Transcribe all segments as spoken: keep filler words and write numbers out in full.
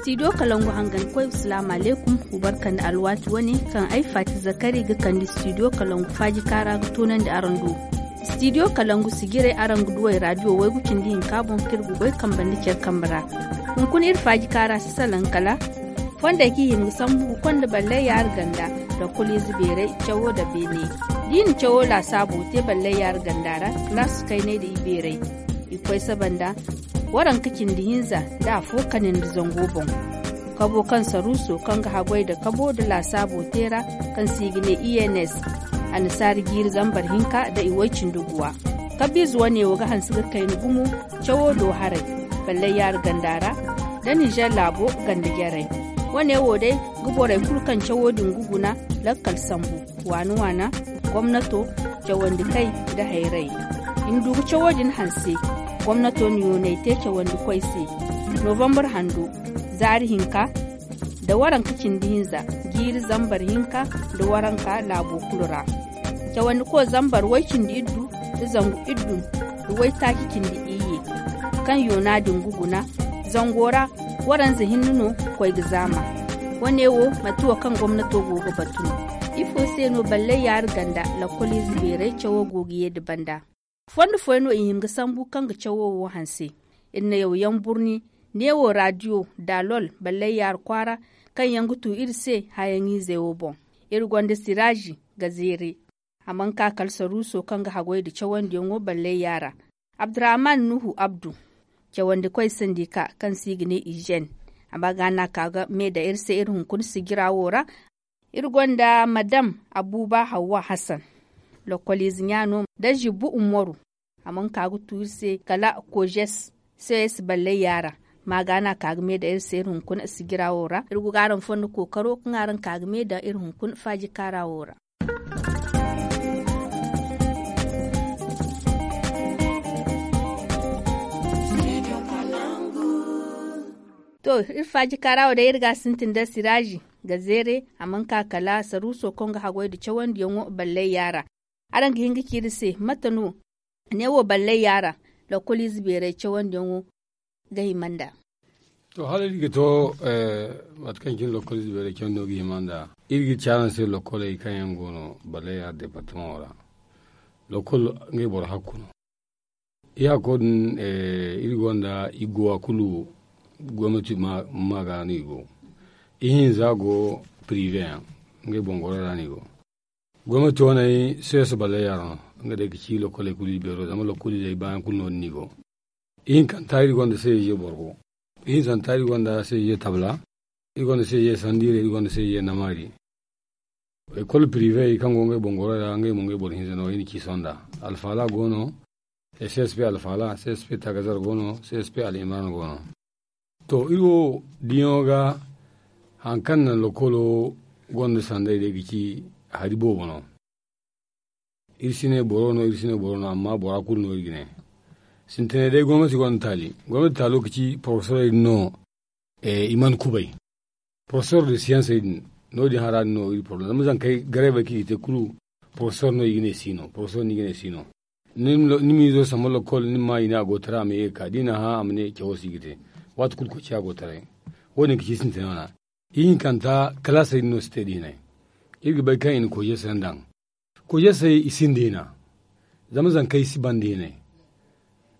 Stidiyo kalangu hangankoy, asalaamu alaykum. Wa barka nda alwaati wane kaŋ ay faati zakari ga kande stidiyo kalangu faaji kaara ga toonandi araŋ do. Stidiyo kalangu sijiray araŋ ga duw'ey raadiyo waygu cindi hinka boŋ kaŋ iri ga goy kambe nda care kambe ra. Hunkuna iri faaji kaara si salaŋ kala fondey kaŋ i hima ga sambu ga konda ballay yaara ganda, lokkoliize beeray cawo nda beene. Da i na cawo laasaabo te ballay yaara ganda ra, kalaasu kaynay nda ibeeray. I ga koy saba nda waranka cindi hinza nda afo kane nda zango boŋ. Kabo kaŋ saruuso kaŋ ga haggoy nda kabo nda laasaabo te ra, kaŋ se i ga ne i n s, annasaari jiiri zambar hinka nda iway cindi guwa. Kabiize wane wo ga hanse ga kayna gumo cawo do haray, ballay yaara ganda ra nda nizer laabo ganda jarey. Wane wo day ga borey kulu kaŋ cawo din ga guna lakkal sambu, waana-waana, gomnato, cawandikey nda hayrey. I ma du ga cawo din hanse, gomnato na yoonay te cawandikoy se. Novambar hando, zaari hinka nda waranka cindi hinza, jiiri zambar hinka nda waranka laabo kulu ra. Cawandiko zambar way cindi iddu nda zangu iddu nda waytaaci cindi iyye, kaŋ yoona din ga guna zango ra, waranza hinne no ga koy ga zaama. Wane wo manti wo kaŋ gomnato go ga batu no. Ifo se no ballay yaara ganda lokkoliize beeray cawo go ga ye nda banda? Fondo fooyaŋ no i hima ga sambu kaŋ ga cawo wo hanse. Iri na yaw yaŋ burni, neewo raadiyo daalol ballay yaara kwaara, kaŋ yaŋ ga tu iri se hayaŋizey wo boŋ. Iri gonda siraazi ga zeere. A mana ka kala saruuso kaŋ ga haggoy nda cawandiyaŋo ballay yaara. Abdurrahman nuhu abdu, cawandikoy sandika kaŋ se i ga ne izen, a ma ga no a ka ga me daŋ iri se iri hunkuna sijira wo ra. Iri gonda madam abuba hawwa hasan, lokkoliize ɲa no nda zibbu ummaru. A mana ka ga tu iri se kala kojes, ces ballay yaara. Ma ga no a ka ga me daŋ iri se iri hunkuna sijira wo ra. Iri go ga araŋ fondo kookaro kaŋ araŋ ka ga me daŋ iri hunkuna faaji kaara wo ra. To, iri faaji kaara wo day iri ga a sintin nda siraazi ga zeere. A mana ka kala saruuso kaŋ ga haggoy nda cawandiyaŋo ballay yaara. Araŋ ga hin ga ci iri se mate no neewo ballay yaara, lokkoliize beeray cawandiyaŋo ga hima nd'a? To, hala iri ga to, mate kaŋ cine lokkoliize beeray cawandiyaŋo ga hima nd'a, iri ga ci araŋ se lokkoley kaŋ yaŋ go no ballay yaara departamaŋo ra. Lokkol ngey boro hakku no. I hakko din, iri gonda i go a kulu gomnati ma ga no i go. Ihinza go pirive yaŋ, ngey boŋ goro ra no i go. Gomnati wane, ces ballay yaara no. Nga day ga ci lokkoley kulu i beero zama lokkolizey baayaŋ kulu no- din no i go. Ihinkanta iri gonda ces boro go. Ihinzanta iri gonda ces tabla. Iri gonda ces sandiire, iri gonda ces namaari. Ekol pirive kaŋ go ngey boŋ goro ra, ngey mo ngey boro hinza no i na ci sonda. Alfaala go no, csp alfaala, csp tagazar go no, csp al'imran go no. To, iri wo diyaŋo ga, hari kaŋ naŋ lokolo gonda sanday day ga ci hari boobo no. Iri si ne boro no, iri si ne boro no, amma bora kulu no iri ga ne. Sintinay day gomnati gonda taali. Gomnati taalo ga ci porofesorey din no, i mana kubay. Porofesor de siyansey din, no- din hara din no iri poroblam zama zankey gareebey kaŋ i ga te kulu. Porofesor no i ga ne si no, porofesor no i ga ne si no. Ni m'izo samba lokol ni ma i ne a go taray a ma ye ga ka da i na hã a ma ne cawo se i ga te. Waati kulu koy ciya go taray. Wo- din ga ci sintina wana. Ihinkanta kalaasey din no si te da hinay. Iri ga bay kaŋ i na koy jeesey daŋ. Koy jeesey i sinda hina. Zama zankey si banda hinay.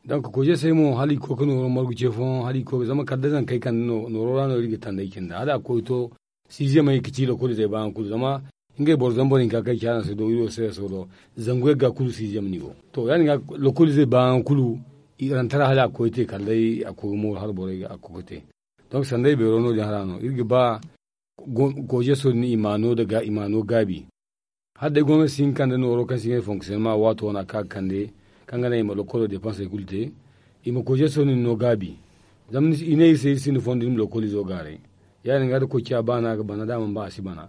Donk koy jeesey mo hala i ga koy ga nooro margu ce fooyaŋ hala i ga koy ga zama kala da zankey kande nooro ra no iri ga tandey cine da hala a ga koy ga to. Siiziyamey ga ci lokolizey baayaŋ kulu zama ngey boro zambar hinka kaŋ i ci araŋ se do iri wo se so do. Zangu yagga kulu siiziyam no i go to ya- din ga lokolizey baayaŋ kulu. I rantara hala a ga koy ga te kala day a ga koy ga mooru hala borey ga a ga koy ga te. Donk sanday beero no- din hara no iri ga ba. Koy jeeso din i ma no gaabi. Hala day gomnati si hin ga kande nooro kaŋ si ngey fonksiyonema waato wane a ga ka ga kande kaŋ ga naŋ i ma lokolo depansey kulu te. I ma koy jeeso din no gaabi. Zama i ne iri se iri sinda fondo iri ma lokolizo gaaray. Ya- din ga da koy ciya ba no a ga bana da a mana ba a si bana.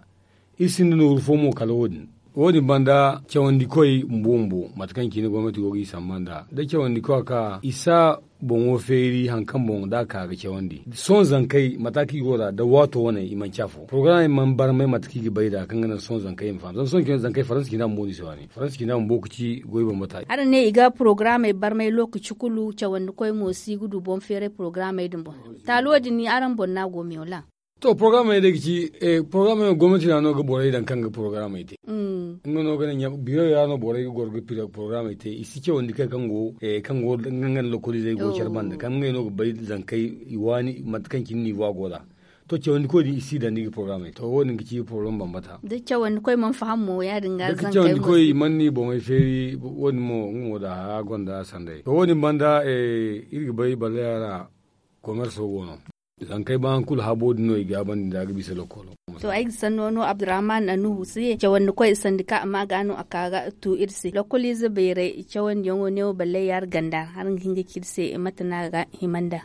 Iri sinda nooru fo mo kala wo- din. Wo- din banda cawandikoy bumbo bumbo mate kaŋ cine gomnati go ga i samba nd'a da cawandikoy a ka i si a boŋo feeri hari kaŋ boŋ da a ka ga cawandi sohõ zankey mate kaŋ i go nd'a da waato wane i manci afo porogaramey mana barmay mate kaŋ i ga bay nd'a kaŋ ga naŋ sohõ zankey i ma faham zama sohõ zankey faransa cine a bumbo no i se waani faransa cine a bumbo ga ci goy bambata. Araŋ ne i ga porogaramey barmay lookaci kulu cawandikoy mo si ga du boŋ feeray porogaramey din boŋ. Taalo din araŋ boŋ no a go meew la. To porogaramey day ga ci porogaramey gomnati no a no ga borey daŋ kaŋ ga porogaramey te. Nga no ga naŋ biirey ra no borey ga goro ga porogaramey te i si cawandi kay kaŋ go kaŋ go nga nda lokoliizey go care banda kaŋ ngey no ga bay zankey i waani mate kaŋ cine niivo a go nd'a. To cawandikoy din i si daŋ ni ga porogaramey to wo- din ga ci porogaram bambata. Da cawandikoy mana faham mo ya- din ga zankey mo cawandikoy mana ni boŋey feeri wo- din mo nga mo da hara gonda sanday to wo- din banda iri ga bay baleera komerso go no. Zankey ba hari kulu habo din no i gaabandi nda a ga bisa lokolo. To ay ga sanno no abdurrahman anuhu se cawandikoy sandika amma ga no a ka ga tu iri se lokoliize bayray cawandiyaŋo neewo ballay yaari ganda hari ga hin ga ci iri se mate no a ga hima nda.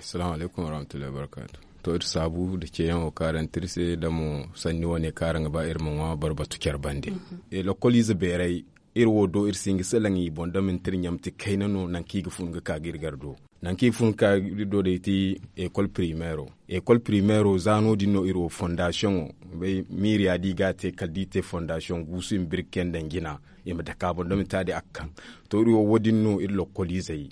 Salaamu alaykum warahmatullahi wabarakaatu. To iri saabu nda ceeyaŋo kaŋ araŋ te iri se nda mo sanni wane kaŋ araŋ ga ba iri ma ŋwa boro batu care bande. Lokoliize bayray iri wo do iri si hin ga salaŋ i boŋ da manti iri ɲamti kayna no nangu kaŋ i ga fun ga ka ga iri gar do. Nangu kaŋ i fun ga ka ga iri do day ti ekol pirimeero. Ekol pirimeero za no- din no iri wo fondasiyoŋo bay miiriya da i ga a te kala da i te fondasiyoŋ guusu i ma birki yaŋ daŋ jina i ma dake a boŋ da manti a din a ga kaŋ. To iri wo wo- din no iri lokoliizey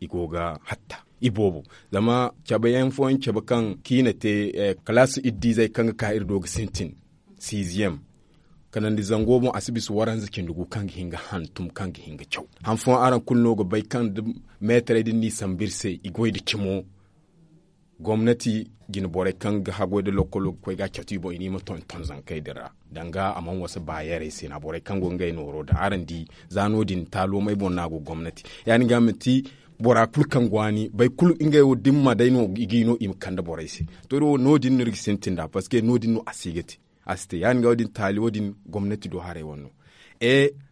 i go ga hatta i boobo. Zama cabe yaŋ fooyaŋ cabe kaŋ kaŋ i na te kalaasi iddiizey kaŋ ga ka iri do ga sintin siiziyem kanandi zango boŋ a si bisa waranza cindi gu kaŋ ga hin ga hantum kaŋ ga hin ga caw. Han fooyaŋ araŋ kulu no ga bay kaŋ da meetarey din no i sambu iri se i goy nda cimo gomnati jine borey kaŋ ga haggoy nda lokkolo ga koy ga a catu i boŋ i ne i ma tonton zankey din ra danga a mana wasa baayarey se na borey kaŋ go ngey nooro daŋ araŋ di. Za no- din taaloomey boŋ no a go gomnati ya- din ga manti bora kulu kaŋ go a ni bay kulu ngey wo dimma day no i ga i no i ma kande borey se. To iri wo no- din no iri ga sintin nd'a parceque no- din no a si ga te a si te ya- din ga wo- din taali wo- din gomnati do haray wane no.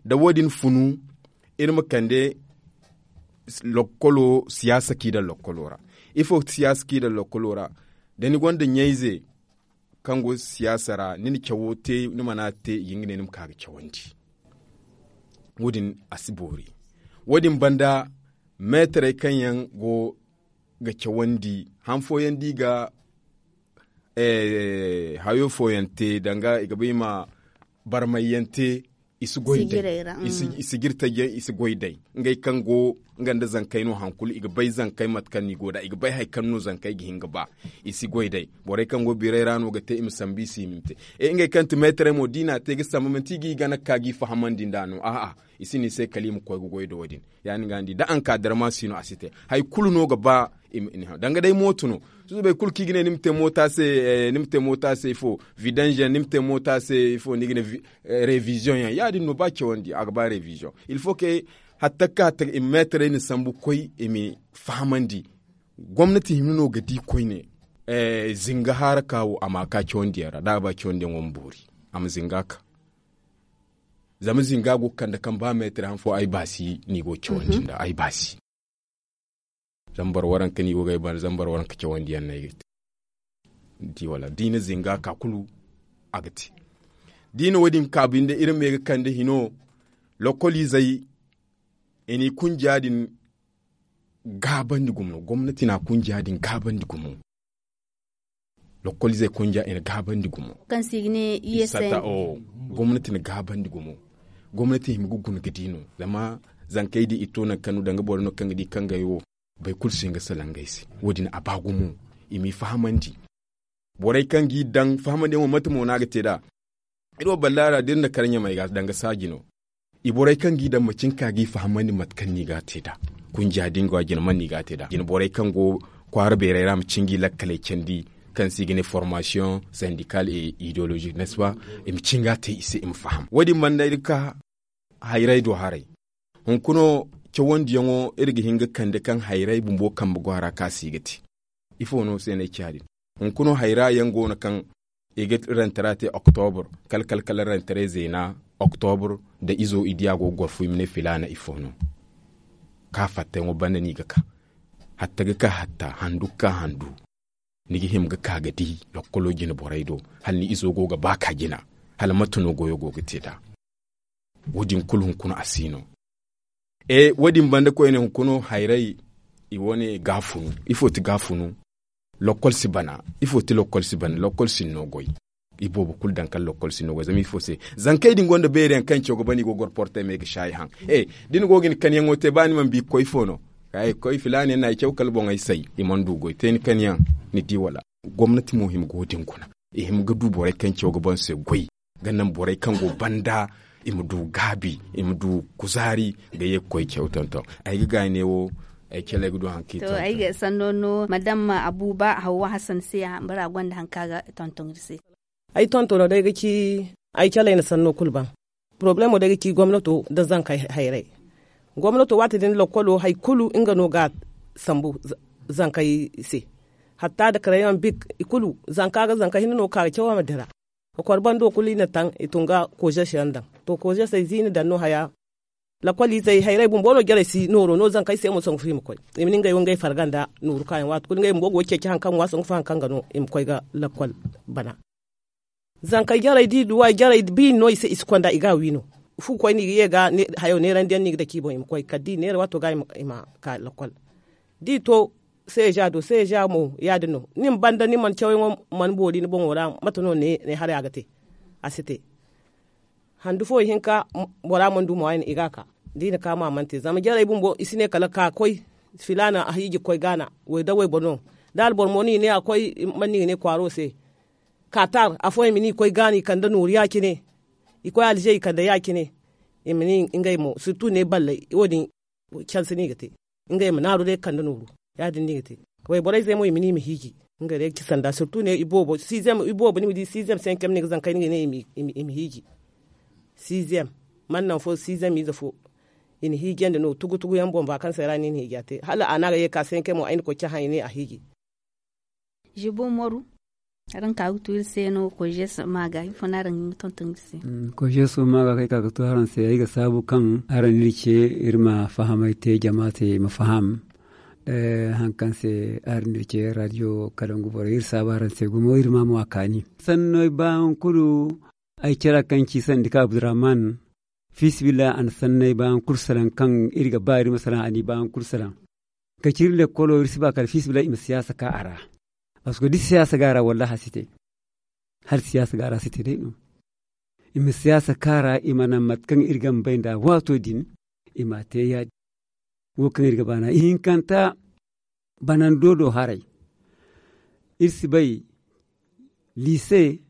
Da wo- din funu iri ma kande lokkolo siyaasa kaŋ i daŋ lokkolo ra. Ifo siyaasa kaŋ i daŋ lokkolo ra da ni gonda ɲayze kaŋ go siyaasa ra ni na cawo te ni mana te i ga hin ga ne ni ma ka ga cawandi. Wo- din a si boori. Wo- din banda meetarey kaŋ yaŋ go ga cawandi han fooyaŋ da i ga hayo fooyaŋ te danga i ga ba i ma barmayyaŋ te. I si goy day i si jirtajiyaŋ i si goy day ngey kaŋ go nga nda zankey no hankulu i ga bay zankey mate kaŋ no i go nd'a i ga bay hari kaŋ no zankey ga hin ga ba. I si goy day borey kaŋ go biirey ra no ga te i ma sambu i se i ma te. Ngey kaŋ ti meetarey mo da i n'a te ga sambu manti i g'i gana ga ka g'i fahamandi nd'a no a'a. I si ne i se kala i ma koy ga goy da wo- din ya- din ga ni di da ankadarma si no a si te. Hari kulu no ga ba i ma ni haŋ danga day mooto no. Susubay kulu kaŋ i ga ne ni ma te moota se ni ma te moota se ifo vidange yaŋ ni ma te moota se ifo ni ga ne reviziyoŋ yaŋ ya- din no ba cawandi a ga ba reviziyoŋ. Il faut que hatta ga ka hatta ga i ma meetarey na sambu ga koy i ma fahamandi. Gomnati hima no ga di koyne zinga haara ka wo a ma ka cawandiyaŋ ra da a ba cawandiyaŋo ma boori a ma zinga ka. Zama zinga go ga kande kaŋ ba meetir han fo ay baasi no i go ga cawandi nd'a ay baasi. Zambar waranka no i go ga ay banda zambar waranka cawandiyaŋ no ay ga te. Di wala da i na zinga ka kulu a ga te. Da i na wo- din ka binde iri ma ye ga kande hino lokoliizey i n'i kunja din gaabandi gumo gomnati na a kunja din gaabandi gumo. Lokoliizey konja i na gaabandi gumo kaŋ se i ga ne i ye sata. Gomnati na gaabandi gumo. Gomnati hima ga guna ga di no zama zankey din i to nangu kaŋ no danga boro no kaŋ ga di kaŋ ga ay wo. Boro kulu si hin ga salaŋ ga ay se wo- din a ba gumo. I m'i fahamandi. Borey kaŋ g'i daŋ fahamandiyaŋo mate mo no a ga te nd'a. Iri wo balla ra da iri na kar ɲamey ga danga saaji no. I borey kaŋ g'i daŋ ma cin ka g'i fahamandi mate kaŋ no i ga a te nd'a. Kunja din go a jina man no i ga a te nd'a jina borey kaŋ go kwaara beerey ra ma cin g'i lakkaley candi kaŋ se i ga ne formasiyoŋ sandikal et idologique n'est ce pas? I ma cin ga a te i se i ma faham wo- din banda iri ga ka hayray do haray. Hunkuna cawandiyaŋo iri ga hin ga kande kaŋ hayray bumbo kambe go a ra kaŋ a si ga te. Ifo no se no ay ci ya- din? Hunkuna hayra yaŋ go no kaŋ i ga rentara te oktobur kala kala kala rentara zeena oktobur. Da izo i di a go ga goro fu i ma ne filaana ifo no? Ka fattayaŋo banda no i ga ka. Hatta ga ka hatta handu ga ka handu. Ni ga hima ga ka ga di lokkolo jina borey do hala ni izo go ga ba ka jina. Hala mate no goyo go ga te nd'a? Wo- din kulu hunkuna a si no. E wo- din banda koyne hunkuna hayray i wane gaafunu. Ifo ti gaafunu? Lokkol si bana. Ifo ti lokkol si bana? Lokkol si no goy. Iboobo kulu daŋ kala lokkol si no goy zama ifo se? Zankey din gonda beeri yaŋ kaŋ caw ga bana i go ga goro portey me ga saayi haŋ. E da ni go ga ni kanyaŋo te ba ni mana bi ga koy ifo no? Ga i ga koy filaana yaŋ no ay caw kala boŋey say i mana du goy te ni kanyaŋ. Ni di wala? Gomnati mo hima ga wo- din guna. I hima ga du borey kaŋ caw ga boŋ se goy ga naŋ borey kaŋ go banda i ma du gaabi, i ma du kuzaari ga ye ga koy caw tonton. Ay ga gaay ne wo ay caley ga du haŋ kaŋ i tonton. Ay ga sanno no madam abuba hawwa hasan se. Bora gonda haŋ kaŋ a ga tonton iri se. Ay tontono day ga ci ay caley na sanno kulu ban. Porobalemo day ga ci gomnato nda zankey hayray. Gomnato waati din lokkolo hari kulu nga no ga a sambu zankey se. Hatta da karayaŋ bik i kulu zanka ga zanka hinne no ga ka ga caw a ma dira. Kokor bando kulu i na taŋ i tun ga kozeso yaŋ daŋ. To kozeso ay ziina daŋ no haya. Lakkol izey hayray bumbo no jarey si nooro no zankey se mo sangu fo i ma koy. I ma ne ngey wo ngey farga nda nooru kaayaŋ waati kulu ngey bumbo go ga ceeci hari kaŋ ŋwa sangu fo hari kaŋ ga no i ma koy ga lakkol bana. Zankey jarey da i duw'a jarey biiri no i se i si konda i ga a wi no. Fu koy no i ga ye ga hayo neerandi yaŋ no i ga dake i boŋ i ma koy kala da i neera waato ga i ma ka lakkol. Da i to seeja do seeja mo ya- din no ni ma banda ni mana cawyaŋo mana boori ni boŋo ra mate no ne haray a ga te? A si te. Handu fo ihinka bora mana du mo a i ga a ka da i na ka mo a mana te zama jarey bumbo i si ne kala ka koy filaana a hiiji ga koy gaana. Way da wayboro no da alboro mo no i ne a koy mana no i ga ne kwaaro se. Kaatar afooyaŋ i ma ne i koy gaana i kande nooru ya- cine. I koy alze i kande ya- cine. I ma ne ngey mo sirtu ne balley wo- din canse no i ga te. Ngey ma naaru day ga kande nooru. Ya- din no i ga te. Wayborey zey mo i ma ne i ma hiiji. Ngey day ga ci sanda sirtu ne iboobo ni ma di siizem sencem no i ga zankey no i ga ne i ma hiiji. Siizem mana naŋ fo siizem ize fo. I na hiijandi no tugu tugu yaŋ boŋ ba kaŋ se ra no i na hiija te hala a no a ga ye ga ka sencem mo ay na koy cahã i ne a hiiji. Zibo moru. Araŋ ka ga tu iri se no kojeso maaga ifo no araŋ ga hin ga tonton iri se? Kojeso maaga kaŋ ay ka ga tu araŋ se ay ga saabu kaŋ araŋ no iri ce iri ma fahamay te jama se i ma faham. Hari kaŋ se araŋ no iri ce radiyo kalangu borey iri saabu araŋ se gumo iri ma a mo a kaani. Sanney ba hari kulu ay care kaŋ ci sandi ka abdurrahman. Fiisabilillahi a na sanney ba hari kulu salaŋ kaŋ iri ga ba iri ma salaŋ a n'i ba hari kulu salaŋ. Ka ci iri lekkolo iri si ba kala fiisabilillahi i ma siyaasa ka a ra. Parceque da siyaasa ga a ra wallahi a si te. Hala siyaasa ga a ra a si te day no. I ma siyaasa ka a ra i ma naŋ mate kaŋ iri ga ma bay nd'a waato din. I m'a te ya- din wo kaŋ iri ga baana ihinkanta banando do haray. Iri si bay liise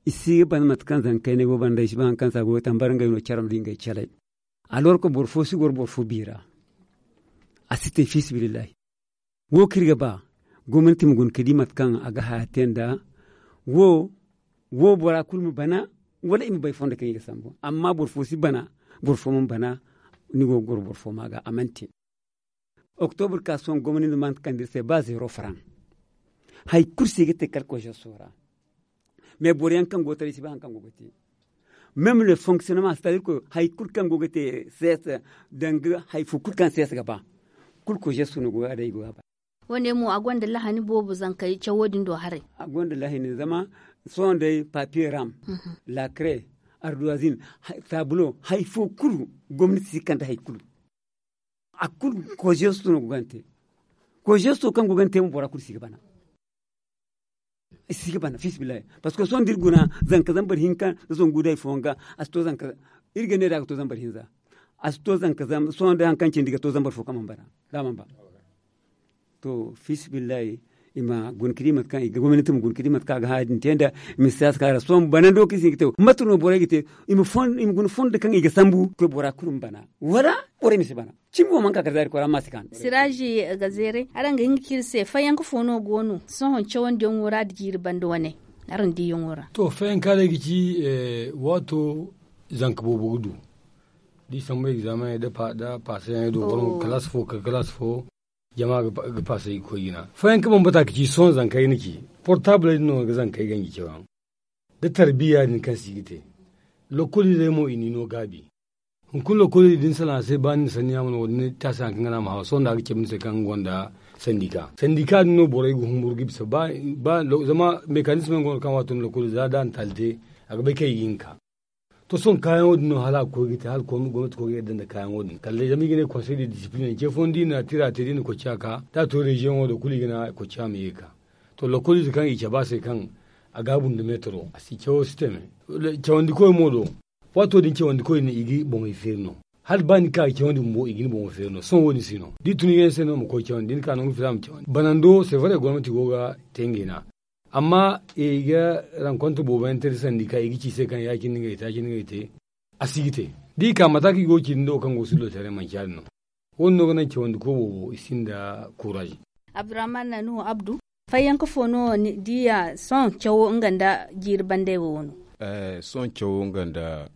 i si ga ban mate kaŋ zankey no ay go banda ay si ba hari kaŋ se a go ga tambar ngey no care ma di ngey calay. Alorko boro fo si goro boro fo bi ra. A si te fiisabilillahi. Wo kaŋ iri ga ba gomnati ma guna ka di mate kaŋ a ga haya te nd'a. Wo wo bora kulu ma bana wala i ma bay fondo kaŋ i ga sambu amma boro fo si bana. Boro fo mana bana. Ni go ga goro boro fo ma ga a mana te. Oktobur ka sohõ gomni nda mana kande iri se ba zeero faraŋ. Hari kulu se i ga te kala kozeso ra. Mais boro yaŋ kaŋ go taray si ba hari kaŋ go ga te. Meme le fonctionnement c'est à dire que hari kulu kaŋ go ga te seesa danga hari fo kulu kaŋ seesa ga ba. Kulu kozeso no go ga day i go ga ba. Wo- ne mo a gonda lahani boobo zankey cawo din do haray. A gonda lahani zama sohõ day papier ram, lakre, arduwazin, tabulo hari fo kulu gomnati si kande hari kulu. A kulu kozesto no go ga ni te. Kozesto kaŋ go ga ni te mo bora kulu si ga bana. I si ga bana fiisabilillahi. Parceque sohõ da iri guna zanka zambar hinka nda zangu day fooyaŋ ga. A si to zanka iri ga ne da a ga to zambar hinza. A si to zanka sohõ day hari kaŋ cindi ga to zambar fo kaŋ mana bana da a mana ba. To fiisabilillahi. I ma guna ka di mate kaŋ i ga gomnati ma guna ka di mate kaŋ a ga haya din te nda. I ma siyaasa kaŋ a ra sohõ banando kaŋ i si hin ga te. Mate no borey ga te i ma guna fondo kaŋ i ga sambu koy bora kulu ma bana wala borey ma si bana. Cimi wo mana ka kala zaari koy ra amma a si kaanu. Siraaji ga zeeray araŋ ga hin ga ci iri se fayanka fo no go no sohõ cawandiyaŋo ra da jiiri banda wane araŋ diiyaŋo ra? To fayanka day ga ci waato zanka boobo ga du. Da i sambu egzaamaney da paasayaŋey do boro ma kalaasi fo kala kalaasi fo. Jama ga paasay ga koy jina fayanka bambata ga ci sohõ zankey na ci portabley din no ga zankey ganji caw yaŋ. Da tarbiya din kaŋ se i ga te lokoliizey mo i n'i no gaabi. Hunkuna lokoliize din salaŋ a se ba ni na sanni yaŋ ma no wo- din taasi haŋ kaŋ ga naŋ a ma haw sohõ nda a ga cabe ni se kaŋ nga gonda sandika sandika din no borey ga humburu ga bisa ba zama mekanisme yaŋ go no kaŋ waato no lokoliize za da a na taali te. a ga bay kaŋ i ga hin ga ka. To sohõ kaayaŋo din no hala a ga koy ga te hala gomnati koy ga yadda nda kaayaŋo din kala day zama i ga ne konsey de disipilin ce fooyaŋ da i na tira te da i na kocciya ka da a to reziyoŋo do kulu i ga ne kocciya ma ye ga ka. To lokkoliize kaŋ i cabe a se kaŋ a gaabu nda meetaro a si cawo si te me. Cawandi koy mo do waato din cawandi koy din i ga boŋey feeri no. Hala ba ni ka ga cawandi bumbo i ga ni boŋo feeri no sohõ wo- din si no da i tun yaŋ se no ma koy cawandi da ni ka nangu fila ma cawandi banando se vare gomnati go ga te ngey no a. Amma i ga rankonta boobo yaŋ te da sanda i ka i ga ci i se kaŋ ya- cine ngey te ya- cine ngey te. A si ga te da i ka mate kaŋ i go ga ci din da wo kaŋ go ga sullo taray manci ya- din no. Wo- din no ga naŋ cawandi koy boobo i sinda kuuraaz. Abdurrahman nanuhu abdu, fayyanka fo no ni diya sohõ cawo nga nda jiiri banday wo wano? Sohõ cawo nga nda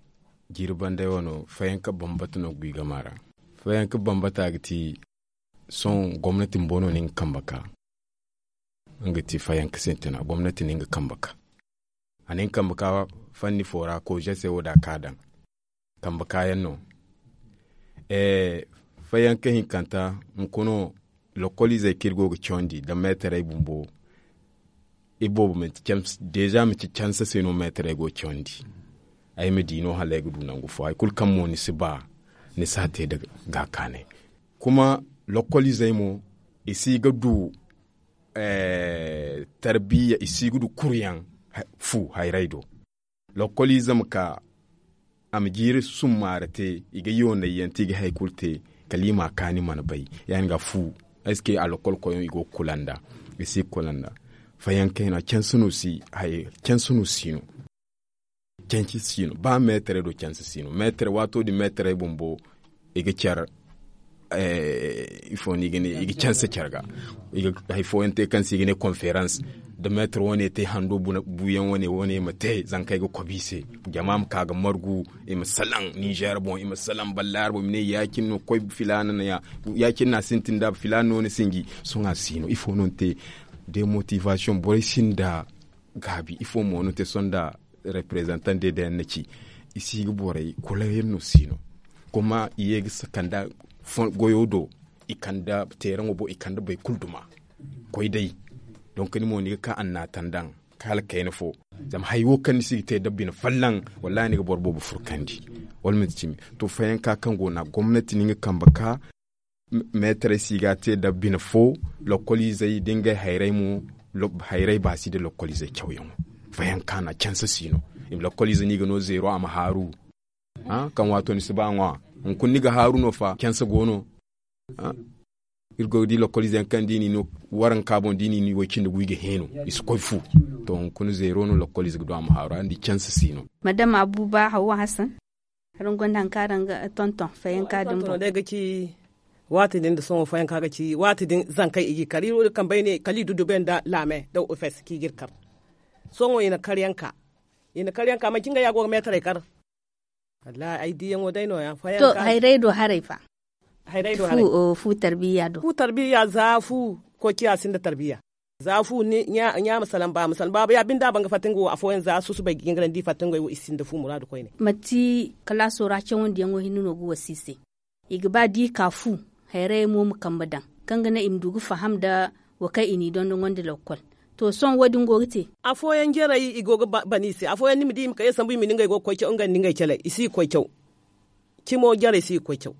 jiiri banday wano fayyanka bambata no ga wi gama ra. Fayyanka bambata ga ti sohõ gomnati bumbo no na nga kambe ka. Nga ti fayyanka sintina gomnati na nga kambe ka. A na nga kambe ka fanni fo ra koze se wo da a ka daŋ kambe kaayaŋ no. Fayyanka hinkanta hunkuna lokoliizey kaŋ iri go ga cawandi nda meetarey bumbo. Iri boobo manti deeza manti canse se no meetarey go ga cawandi. Ay ma di no hala ay ga du nangu fo hari kulu kaŋ mo ni si ba ni si a te nda gaakaanay. Kuma lokoliizey mo i si ga du tarbiya i si ga du kuruyaŋ fu hayray do. Lokkoliize ma ka a ma jiiri summaara te i ga yoonay yaŋ te i ga hari kulu te kala i ma a kaani mana bay. Ya- din ga fu eske a lokkol koyyaŋ i go ga kula nda i si ga kula nda fayanka hina canse no si no. Canse si no ba meetaray do canse si no meetaray waato din meetaray bumbo i ga care ifo no i ga ne i ga canse care ga. Hari fooyaŋ te kaŋ se i ga ne konferans da meetar wane te hando buuyaŋ wane wane ma te zankey ga kobi i se. Jama ma ka ga margu i ma salaŋ ninzeer boŋ i ma salaŋ ballaari boŋ i ma ne ya- cine no koy filaana no ya- cine no a sintin da filaana no ni sinji. Sohõ a si no ifo no ni te? Demotivasiyoŋ borey sinda gaabi ifo mo no te sohõ nda reprezantan de da yaŋ na ci i si ga borey kula yaŋ no si no. Kuma i ye ga kanda goyo do i kanda teeraŋo boŋ i kanda boro kulu duma koy day. Donk ni mo ni ga ka annaatan daŋ ka hala kayna fo zama hari wo kaŋ ni si ga te nda bine fallaŋ wallaahi ni ga boro boobo furkandi. Wala manti cimi to fayanka kaŋ go no a gomnati no nga kambe ka meetaray si ga a te nda bine fo lokoliizey da ngey hayray mo. Hayray baasi nda lokoliizey cawyaŋo fayanka no a canse si no. I ma lokoliize no i ga no zeero a ma haaru kaŋ waato ni si ba ŋwa hunkuna ni ga haaru no fa canse go no. Iri go ga di lokoliize yaŋ kaŋ da i n'i no waranka boŋ da i n'i no i way cindi gu i ga heenu i si koy fu. To hunkuna zeero no lokoliize ga du a ma haaru araŋ di canse si no. Madama abuba hawwa hassan. Araŋ gonda hari kaŋ araŋ ga tonton fayanka din boŋ. Waati din da sohõ fayanka ga ci waati din zankey i ga i kar iri wo din kambey ne kala i dudube nda laame nda ofes kaŋ i ga iri kar. Sohõ i na karyaŋ ka i na karyaŋ ka manci ngey ya go ga meetaray kar. Wallahi ay diyaŋo day no- ya fayanka. Hayray do haray fa? Fu tarbiya do fu tarbiya za fu koy ciya sinda tarbiya. Za fu ɲa ma salaŋ ba ma salaŋ baaba ya binde a ban ga fatta nga wo afooyaŋ za susubay ga jingarandi i fatta nga wo i sinda fu muraadu koyne. Manti kalaaso ra cawandiyaŋo hinne no ga wasa i se. I ga ba da i ka fu hayrayey mo ma kambe daŋ kaŋ ga naŋ i ma du ga faham nda wo kaŋ i n'i dondonandi lokkol. To sohõ wo- din go ga te. Afooyaŋ jarey i go ga ban i se afooyaŋ ni ma di i ma kay sambu i ma ne ngey go ga koy caw ngey nda ngey caley i si ga koy caw. Cimo jarey si ga koy caw.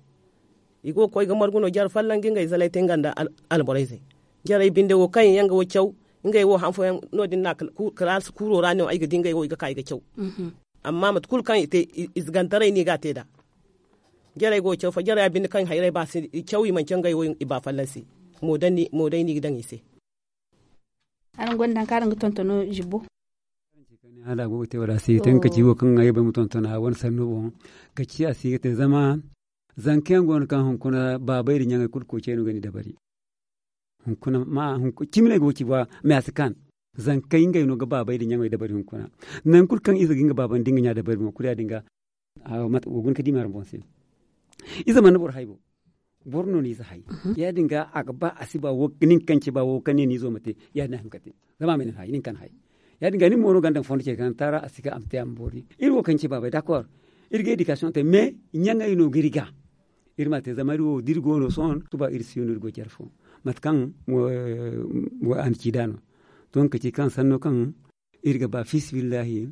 I go ga koy ga margu no jare fallaŋ ga ngey zalay te nga nda alborayzey. Jarey binde wo kaŋ yaŋ ga wo caw ngey wo han fooyaŋ no- din no a kala kuuro ra no ay ga di ngey wo i ga ka i ga caw. Amma mate kulu kaŋ i te ize gantaray no i ga a te nd'a. Jarey go ga caw fa jarey a binde kaŋ hayrey ba se i caw i mana caw ngey wo i ba fallaŋ se. Mo day no i ga daŋ i se. Araŋ gonda hari kaŋ araŋ ga tontono zibbo? Hala a go ga te wala a si ga te nga ka ci wo kaŋ ay bay ma tontona wane sanno boŋ. Ka ci a si ga te zama zanka yaŋ go no kaŋ hunkuna baabay nda ɲaŋey kulu koy cay no ga ni dabari. Hunkuna ma cimi no ay go ga ci ba me a si kaan. Zankey ngey no ga baabay nda ɲaŋey dabari hunkuna. Nangu kulu kaŋ ize ga nga baaba nda nga ɲa dabari boŋ kulu ya- din ga. Wo guna ga di me araŋ boŋ se. Ize mana boro hay bo. Boro no no ize hay. Ya- din ga a ga ba a si ba wo nin kaŋ ci ba wo kaŋ ne ni izo ma te. Ya- din a hin ga te zama a ma nin hay nin kaŋ hay. Ya- din ga nin mo no ga ni daŋ fondo ce kaŋ taara a si ga a ma te a ma boori iri wo kaŋ ci baabay dakor. Iri ga edikasiyoŋ te me ɲaŋey no ga iri ga. Iri ma a te zama iri wo da iri go no sohõ suba iri si no iri go care fo. Mate kaŋ a na ci nd'a no. To nga ka ci kaŋ sanno kaŋ iri ga ba fiisabilillahi.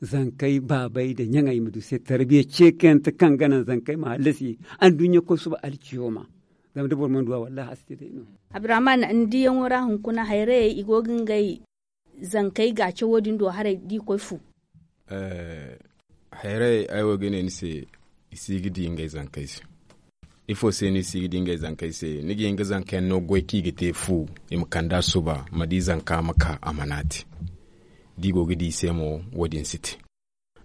Zankey baabey nda ɲaŋey ma du se tarbiya ceekante kaŋ ga naŋ zankey ma hallasi anduɲɲa koy suba alciyo ma. Zama da boro mana du a wallaahi a si te day no. Abdurrahman, ni diyaŋo ra hunkuna hayrayey i go ga ngey zankey ga cawo din do haray da i koy fu. Hayrayey ay wo ga ne ni se, i si ga di ngey zankey se. Ifo se no i si ga di ngey zankey se? Ni ga hin ga zanka yaŋ no goy kaŋ i ga te fu, i ma kand'a suba ma di zanka ma ka a mana te. Da i go ga di i se mo, wo- din si te.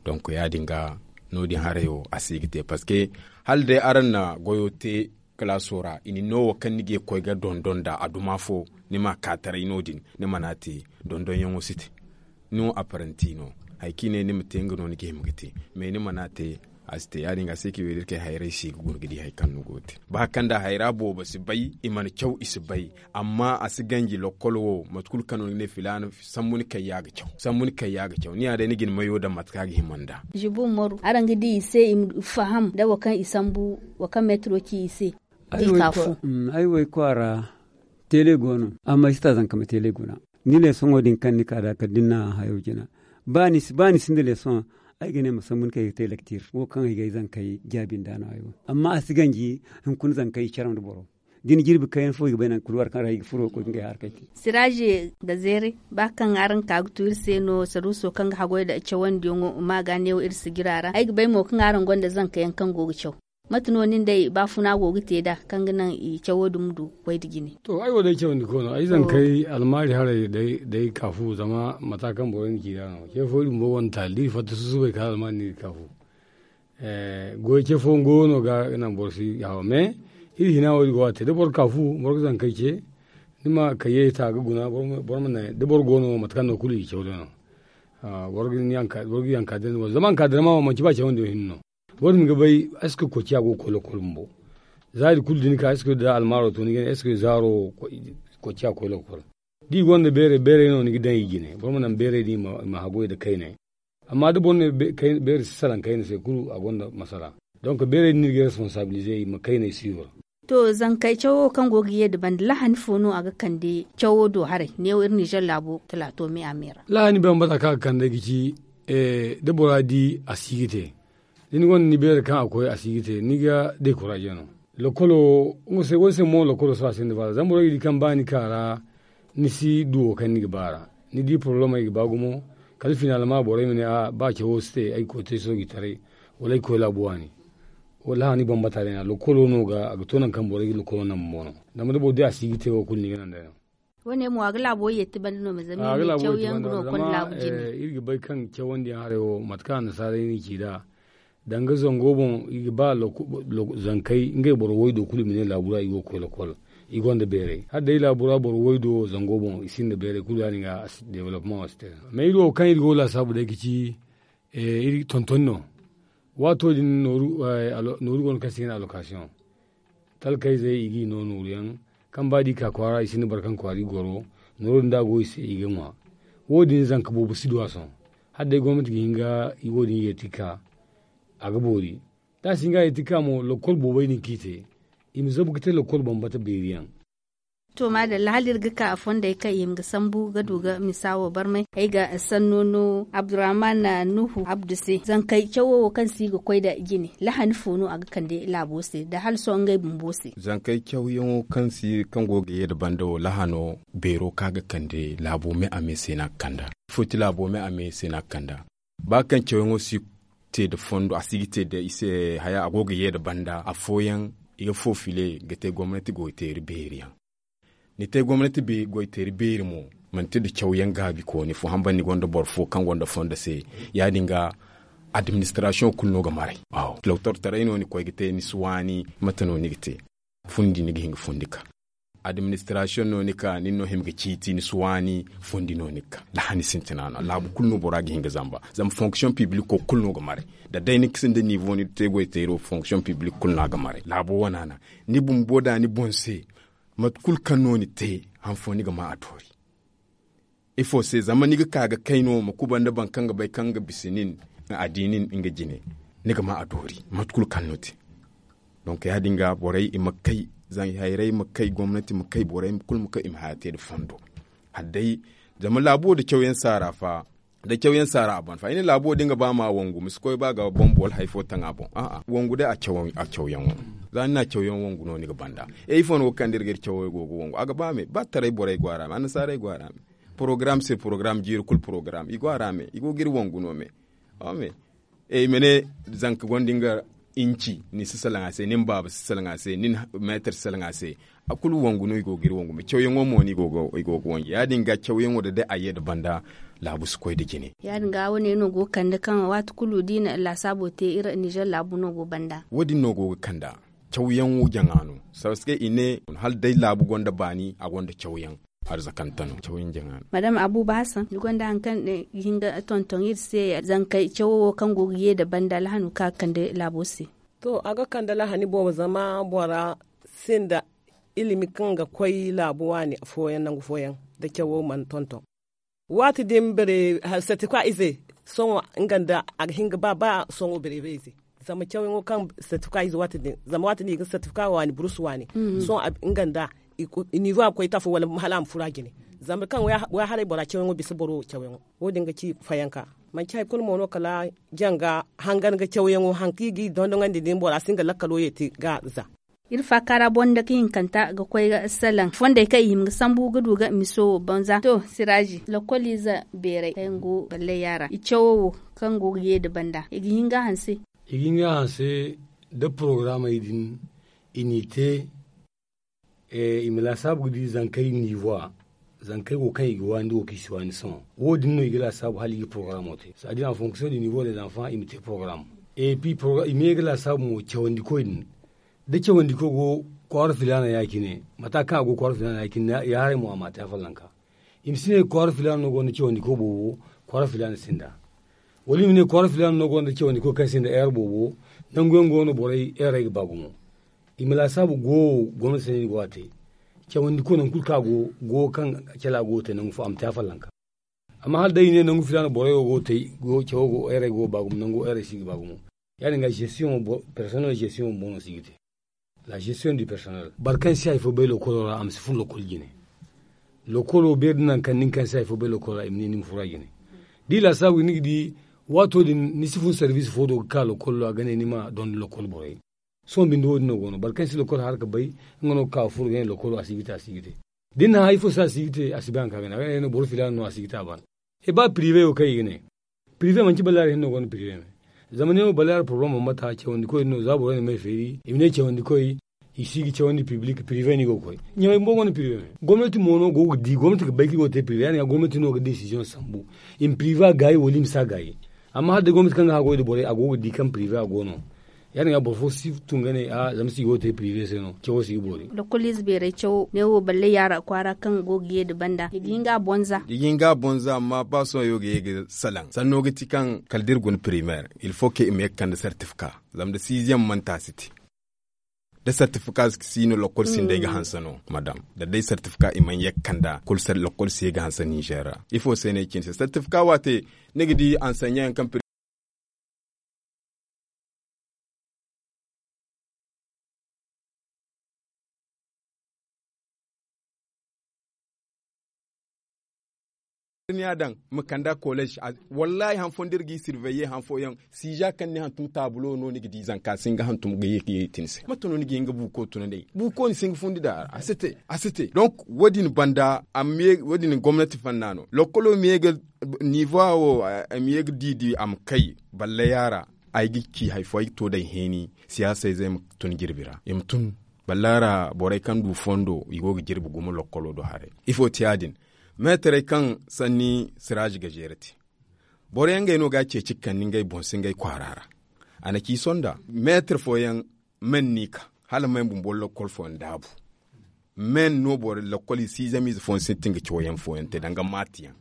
Donk ya- din ga, no- din haray wo a si ga te parceque hala day araŋ na goyo te kalaaso ra i na ni no wo kaŋ ni ga ye ga koy ga dondon nd'a a duma fo, ni m'a ka taray no- din, ni mana te, dondonyaŋo si te. Ni wo aparanti no, hari kaŋ i ne ni ma te nga no ni ga hima ga te. Mais ni mana te, a si te ya- din ga a se kaŋ i wo iri kay hayray se ga guna ga di hari kaŋ ni go ga te. Ba kaŋ nda hayra boobo si bay, i mana caw i si bay. Amma a si ganji lokkol wo mate kulu kaŋ no ni ga ne filaana sambu ni kayya ga caw. Ni ya day ni ga ni mayo daŋ mate kaŋ a ga hima nd'a. Zibu umaru araŋ ga di i se i ma faham nda wo kaŋ i sambu, wo kaŋ meetiro ci i se. Ay wo ay kwaara, teele go no, amma ay si ta zanka ma teele guna. Ni leesoŋo din kaŋ ni ka nd'a kala da ni na hayo jina, ba ni sinda leesoŋ, ay ga ne ma sambu ni kay ga te lektir wo kaŋ ay ga ay zankey jaabi nd'a no ay wo. Amma a si ganji hunkuna zankey i caraw nda boro. Da ni jirbi kayna fo i ga bay nangu kulu war kaŋ ra i ga furo ga koy ga ngey harkey te. Siraaze nda zeere, ba kaŋ araŋ ka ga tu iri se no saruuso kaŋ ga haggoy nda cawandiyaŋo ma ga neewo iri sijira ra ay ga bay mo kaŋ araŋ gonda zanka yaŋ kaŋ go ga caw. Mate no nin day baafuna go ga te nd'a kaŋ ga naŋ i cawo din ma du ga koy nda jine? To ay wo day cawandi ko no ay zankey almaari haray day kaafu zama mata kaŋ borey na ci nd'a no ce fo iri bumbo gonda taali da iri fatta susubay kala almaari no iri kaafu. Goy ce fo nga wo no ga naŋ boro si hawa mais iri hina wo iri go ga te da boro kaafu boro ga zankey ce. Ni ma kayyey ta ga guna boro ma ne da boro go no mate kaŋ no kulu i ga caw day no. Boro ga yanka day no zama yanka day ma wo manci ba cawandi wo hinne no. Wo- din ga bay est ce que kociya go ga koy lokol bumbo? Za iri kulu da ni ka est ce que da almaaro to ni ga ne est ce que zaaro kociya ga koy lokol? Da i gonda beeray beeray no ni ga daŋ i jine boro ma naŋ beeray din i ma haggoy nda kaynay. Amma da boro ne beeray si salaŋ kayna se kulu a gonda masala. Donk beeray din no iri ga responsabilize i ma kaynay siiwar. To zankey cawo kaŋ go ga ye nda banda lahani fo no a ga kande cawo do haray neewo iri nizer laabo talaato me a me ra? Lahani bambata kaŋ a ga kande ga ci da bora di a si ga te. Da ni gonda ni beere kaŋ a koy a si ga te ni ga dekuraaze no. Lokolo nga se wo ni se mo lokolo sohõ a sinda faala zama borey ga di kaŋ ba ni ka ra ni si du wo kaŋ ni ga ba ra. Ni di poroblemey ga ba gumo kala finaalma borey ma ne a ba cawo si te ay ga koy te sooji taray wala ay ga koy laabu waani. Wallaahi ni bambata day no a lokolo no ga a ga to nangu kaŋ borey ga lokolo naŋ bumbo no. Zama da boro di a si ga te wo kulu ni ga naŋ day no. Wo- ne mo a ga laabo yeeti banda no ma zama iri ne caw yaŋ ga no ga konda laabu jine. Iri ga bay kaŋ cawandiyaŋ haray wo mate kaŋ annasaarey no i ci nd'a. Danga zango boŋ i ga ba zankey ngey boro waydo kulu i ma ne laabu ra i go ga koy lokol. I gonda beeray hala day laabu ra boro waydo zango boŋ i sinda beeray kulu ya- din ga a si development wo si te. Mais iri wo kaŋ iri go ga laasaabu day ga ci iri tontoni no. Waato din nooru go no kaŋ se i ga ne alokasiyoŋ. Talkayzey i g'i no nooruyaŋ kaŋ ba da i ka kwaara i sinda boro kaŋ kwaara i goro. Nooro din da a go i se i ga ŋwa. Wo- din zanka boobo si du a sohõ. Hala day gomnati ga hin ga wo- din yeeti ga ka a ga boori. Da a si hin ga a yeeti ga ka mo lokol boobey din kaŋ i te i ma zabu ga te lokol bambata beeri yaŋ. To maadalla hala iri ga ka a fondey kaŋ i hima ga sambu ga du ga misa wo barmay ay ga sanno no abdurrahman nuhu abdu se zankey cawo wo kaŋ si ga koy nda jine lahani fo no a ga kande laabo se nda hala sohõ ngey bumbo se? Zankey cawyaŋo kaŋ go ga ye nda banda wo lahano beero kaŋ a ga kande laabo me a me se no a ga kand'a. Ifo ti laabo me a me se no a ga kand'a? Ba kaŋ cawyaŋo si te nda fondo a si ga te nda i se haya a go ga ye nda banda afooyaŋ i ga foofile ga te gomnati goyteeri beeri yaŋ. Ni te gomnati goyteeri beeri mo manti nda cawyaŋ gaabi kooni fo hamba ni gonda boro fo kaŋ gonda fondo se. Ya- din ga administrasiyoŋ kulu no ga maray. Doktortaray no ni koy ga te ni si waani mate no ni ga te? Fundi ni ga hin ga fundi ka. Administrasiyoŋ no ni ka nin no hima ga ciiti ni si waani. Fundi no ni ga ka lahani sintina no laabu kulu no bora ga hin ga zamba. Zama fonksiyoŋ pibliko kulu no ga maray. Da day ni ga sinda nivo ni te goyteero fonksiyoŋ piblik kulu no a ga maray laabo wana no. Ni bumbo da ni boŋ se mate kulu kaŋ no ni te han fo ni ga ma a doori. Ifo se zama ni ga ka ga kay no ma kuba nda boro kaŋ ga bay kaŋ ga bisa nin a di nin nga jine. Ni ga ma a doori mate kulu kaŋ no te. Donk ya- din ga borey i ma kay zan hayray ma kay gomnati ma kay borey kulu ma kay i ma haya te nda fondo. Hala day zama laabo nda cawyaŋ saara fa. Da cawyaŋ saara a ban fa i ne laabu wo da nga ba ma wangu ma si koy ba ga bombo wala hari fo taŋ a boŋ a'a wangu day a cawyaŋo. Za ni na cawyaŋ wangu no ni ga banda. E ifo no ga kande iri ga iri cawyaŋo go ga wangu a ga ba me ba taray borey go a ra me annasaarey go a ra me. Porogaram se porogaram jiiri kulu porogaram i go a ra me i go ga iri wangu no me. Ey ma ne zanka gonda nga inci ni si salaŋ a se ni ma baaba si salaŋ a se ni ma meetar si salaŋ a se. A kulu wangu no i go ga iri wangu me cawyaŋo mo no i go ga wangu ya- din ga cawyaŋo da day a ye nda banda. Laabu si koy nda jine. Ya- din ga wo- ne no go ga kande kaŋ waati kulu da i na laasaabo te iri nizer laabu no go banda. Wo- din no go ga kanda cawyaŋo jaŋa no. Sarasgay i ne hala day laabu gonda baani a gonda cawyaŋ. Arzakante no cawyaŋ jaŋa no. Madam abuba hasan ni gonda hari kaŋ ga hin ga tonton iri se zankey cawo wo kaŋ go ga ye nda banda alhano kaŋ ga kande laabo se. To a ga kande lahani boobo zama bora sinda ilimi kaŋ ga koy laabu waani fooyaŋ nangu fooyaŋ da cawo mana tonton. Waati din bere sertifika ize sohõ nga nda a ga hin ga ba ba sohõ bere ize. Zama cawyaŋo kaŋ sertifika ize waati din zama waati din i ga sertifika waani burus waani. Sohõ nga nda niivo a ga koy tafa wala hala a ma furo a jine. Zama kaŋ wayharay bora cawyaŋo bisa boro cawyaŋo wo- din ga ci fayanka. Manci hari kulu mo no kala janga hangan ga cawyaŋo hari kaŋ i g'i dondonandi din bora si nga lakkalo ye te ga za. Iri faaka ra boŋ nda ka hinkanta ga koy ga salaŋ fondey kaŋ i hima ga sambu ga du ga miso wo banza to siraazi lokoliize beeray kaŋ yaŋ go ballayya ra i cawo wo kaŋ go ga ye nda banda i ga hin ga a hanse. I ga hin ga a hanse da porogaramey din i n'i te. I ma laasaabu ga di zankey niivowa zankey wo kaŋ i ga waani wo kaŋ i si waani sohõ wo- din no i ga laasaabu hala i ga porogaramo te saadi en fonksiyoŋ de niivo de zanfaŋ i ma te porogaram. Et puis i ma ye ga laasaabu mo cawandikoy din da cawandiko go kwaara filaana ya- cine mata kaŋ a go kwaara filaana ya- cine ya- haray mo a ma a te a fallanka. I ma si ne kwaara filaana no gonda cawandiko boobo kwaara filaana sinda. Wala i ma ne kwaara filaana no gonda cawandiko kaŋ sinda eer boobo. Nangu yaŋ go no borey eerey ga ba gumo. I ma laasaabu go wo gomnati se no i go a te. Cawandi ko nangu kulu kaŋ a go go kaŋ cala go ga te nangu fo a ma te a fallanka. Amma hala day i ne nangu filaana borey wo go ga te cawo go eerey go ga ba gumo nangu eerey si ga ba gumo. Ya- din ga zestiyoŋ wo personnel zestiyoŋ wo boŋ no si ga te. La zestiyoŋ du personnel boro kaŋ si hari fo bay lokolo ra a ma si fun lokol jine. Lokolo beeri da nangu kaŋ nin kaŋ si hari fo bay lokolo ra i ma ne ni ma furo a jine. Da i laasaabu ni ga di waato din ni si fun sarbiisi fo do ga ka lokolo ra ga ne ni ma dondi lokol borey. Sohõ binde wo- din no go no boro kaŋ si lokol har ga bay nga no ga ka ga furo ga ne lokolo a si ga te a si ga te. Da ni na hari fo se a si ga te a si bay hari kaŋ a ga ne a ga ne no boro filaana no a si ga te a ban. E ba pirive wo kaŋ i ga ne pirive manci balaari hinne no gonda pirive me. Zama ne wo balaari porobaram bambata cawandikoy din no za borey na may feeri i ma ne cawandikoy i si ga cawandi pibilik pirive no i go ga koy. Ɲamay bumbo gonda pirive me gomnati mo no go ga di gomnati ga bay kaŋ i go ga te pirive ya- din ga gomnati no ga desiziyoŋ sambu. I ma pirive a gaayi wala i ma si a gaayi. Amma hala day gomnati kaŋ ga haggoy nda borey a go ga di kaŋ pirive a go no. Ya- din ga boro fo si tun ga ne a zama si go ga te pirive se no cawo si ga boori. Lokoliize beeray cawo ne wo balle yaara kwaara kaŋ go ga ye nda banda i ga hin ga a bonza. I ga hin ga a bonza amma ba sohõ yaŋ ga ye ga salaŋ sanno ga ti kaŋ kala da iri guna pirimeer il fo ke i ma ye ga kande sertifika. Zama da siiziyam manti a si te da sertifika si no lokol sinday ga hanse no madam da day sertifika i mana ye ga kanda kulu lokol si ye ga hanse ninzeer ra. Ifo se no ay cine se sertifika waate ni ga di ansanyaŋ yaŋ kaŋ piri ni a daŋ ma kanda kolej. Wallaahi han fooyaŋ da iri g'i sirveye han fooyaŋ siija kaŋ ni hantum taabulo no ni ga di zanka si hin ga hantum ga ye ga ye ti ni se mate no ni ga hin ga buuko tunandi ay buuko ni si hin ga fundi nd'a a si te. A si te donk wo- din banda a ma ye wo- din gomnati fanna no lokkolo ma ye ga niivowa wo a ma ye ga diidi a ma kay. Balle yaara ay ga ci hari fo ay ga to day heeni siyaasa izey ma tun jirbi ra i ma tun. Ballaara borey kaŋ du fondo i go ga jirbi gumo lokkolo do haray. Ifo ti ya- din meetarey kaŋ sanni siraazi ga zeere te. Boro yaŋ ngey no ga a ceeci ga kande ngey boŋ se ngey kwaara ra. A na ci sonda meetar fooyaŋ men no i ka hala men bumbo lokkol fooyaŋ daabu. Men no boro lokkol i siizamiize fooyaŋ sintin ga cawyaŋ fooyaŋ te danga maati yaŋ.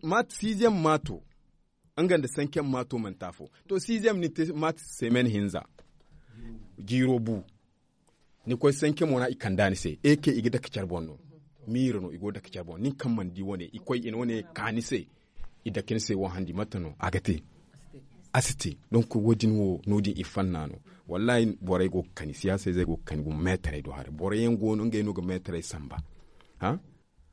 Maati siiziyam maato nga nda sankiyam maato mana te afo. To siiziyam ni te maati semen hinza. Jiiro bu. Ni koy sankiyamo ra i kand'a ni se eke i ga dake care boŋ no. Miira no i go ga dake care boŋ nin kaŋ mana di wane i koy i na wane ka ni se. I dake ni se wo handi mate no a ga te? A si te. Donk wo- din wo no- din i fanna no. Wallaahi borey go ga kani siyaasa izey go ga kani gumo meetarey do haray boro yaŋ go no ngey no ga meetarey samba.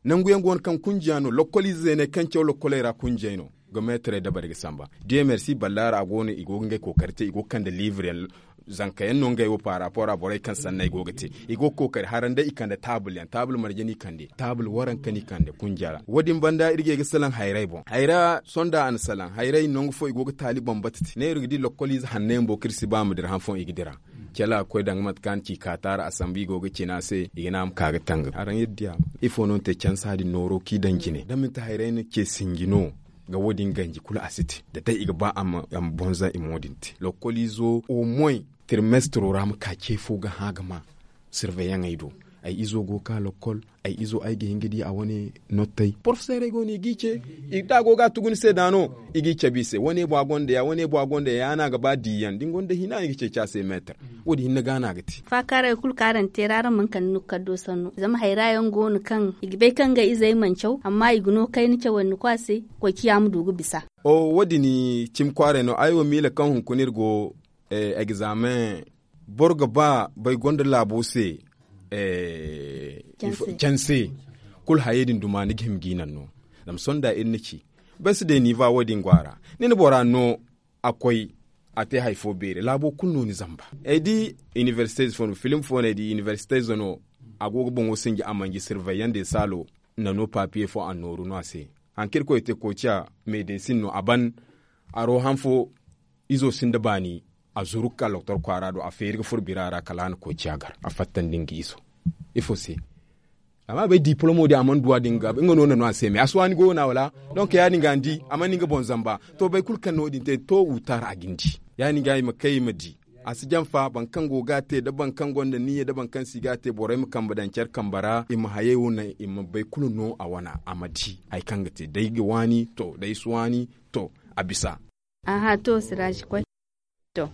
Nangu yaŋ go no kaŋ kunjiya no lokkol ize zeeney kaŋ caw lokkoley ra kunjiyey no. Ga meetarey dabari ga samba. Dieu merci ballaara a go no i go ga ngey kookari te i go ga kande liibre yaŋ. Zanka yaŋ no ngey wo paaraapo ra borey kaŋ sanney go ga te. I go ga kookari haranday i kande taabul yaŋ taabul marje no i kande taabul waranka no i kande kunja ra wo- din banda iri ga ye ga salaŋ hayray boŋ hayra sonda a na salaŋ hayray nangu fo i go ga taali bambata te ne iri ga di lokkol ize hanno yaŋ bo kaŋ iri si ba a ma dira han fooyaŋ i ga dira. Cala ga koy daŋ ga mate kaŋ a na ci kaataara a sambu i go ga cina se i ga ne a ma ka ga tanga araŋ iri diya. Ifo no ni te cansa din nooro kaŋ i daŋ jine da manti hayray no ce sinji no. Ga wo- din ganji kulu a si te da day i ga ba a ma bonza i mo din te lokoliizo au moins tirmestro ra ma ka ce fo ga hã ga ma. Sirveyaŋey do ay izo go ga ka lokkol ay izo ay ga hin ga di a wane. Nottey porofeseerey go no i g'i ce da a go ga a tugu ni se da no i g'i cabe i se wane bwa gonda ya wane bwa gonda ya ya no a ga ba diyaŋ da ni gonda hina ni ga ceeci a se meetar. Wo- din hinne ga no a ga te. Faakaaray kulu kaŋ araŋ teera araŋ mana kande ni ga kaddo sannu zama hayra yaŋ go no kaŋ i ga bay kaŋ ngey izey mana caw amma i ga no kayna cawandi ko a se. Koy ciya ma du ga bisa. Wo- din cimi kwaaray no ay wo miila kaŋ hunkuna iri go egzaameŋ boro ga ba bay gonda laabo se. Canse kulu hayey din duma ni ga hima g'i naŋ no. Zama sohõ da iri na ci bay si day niiva wo- din go a ra. Ni na bora no a koy a te hari fo beeri laabo kulu no ni zamba. Ay di iniversite ize fo no film fo no ay di iniversite ize no. A go ga boŋo sinji a manji sirvey yaŋ de saalo. Nano papiye fo a nooru no a se. Hari kaŋ irkoy te koociya meedesin no a ban. Aro han fo izo sinda baani a zuru ga ka loktor kwaara do a feeri ga furo bira ra kala a na koociya gar a fattandi nga izo. Ifo se? Amma a bay dipolomo din a mana du a din ga nga no na no a se me a si waani goyo no a wala? Donk ya- din ga ni di a mana ni nga boŋ zamba. To boro kulu kaŋ na wo- din te to wutar a ga ni di. Ya- din ga i ma kay i ma di. A si jamfa boro kaŋ go ga a te nda boro kaŋ gonda niyya nda boro kaŋ si ga a te borey ma kambe daŋ care kambe ra i ma hayey wo naŋ i ma bay kulu no a wana a ma di. Hari kaŋ ga te day ga waani to day si waani to a bisa. Aha to siraaji koy. To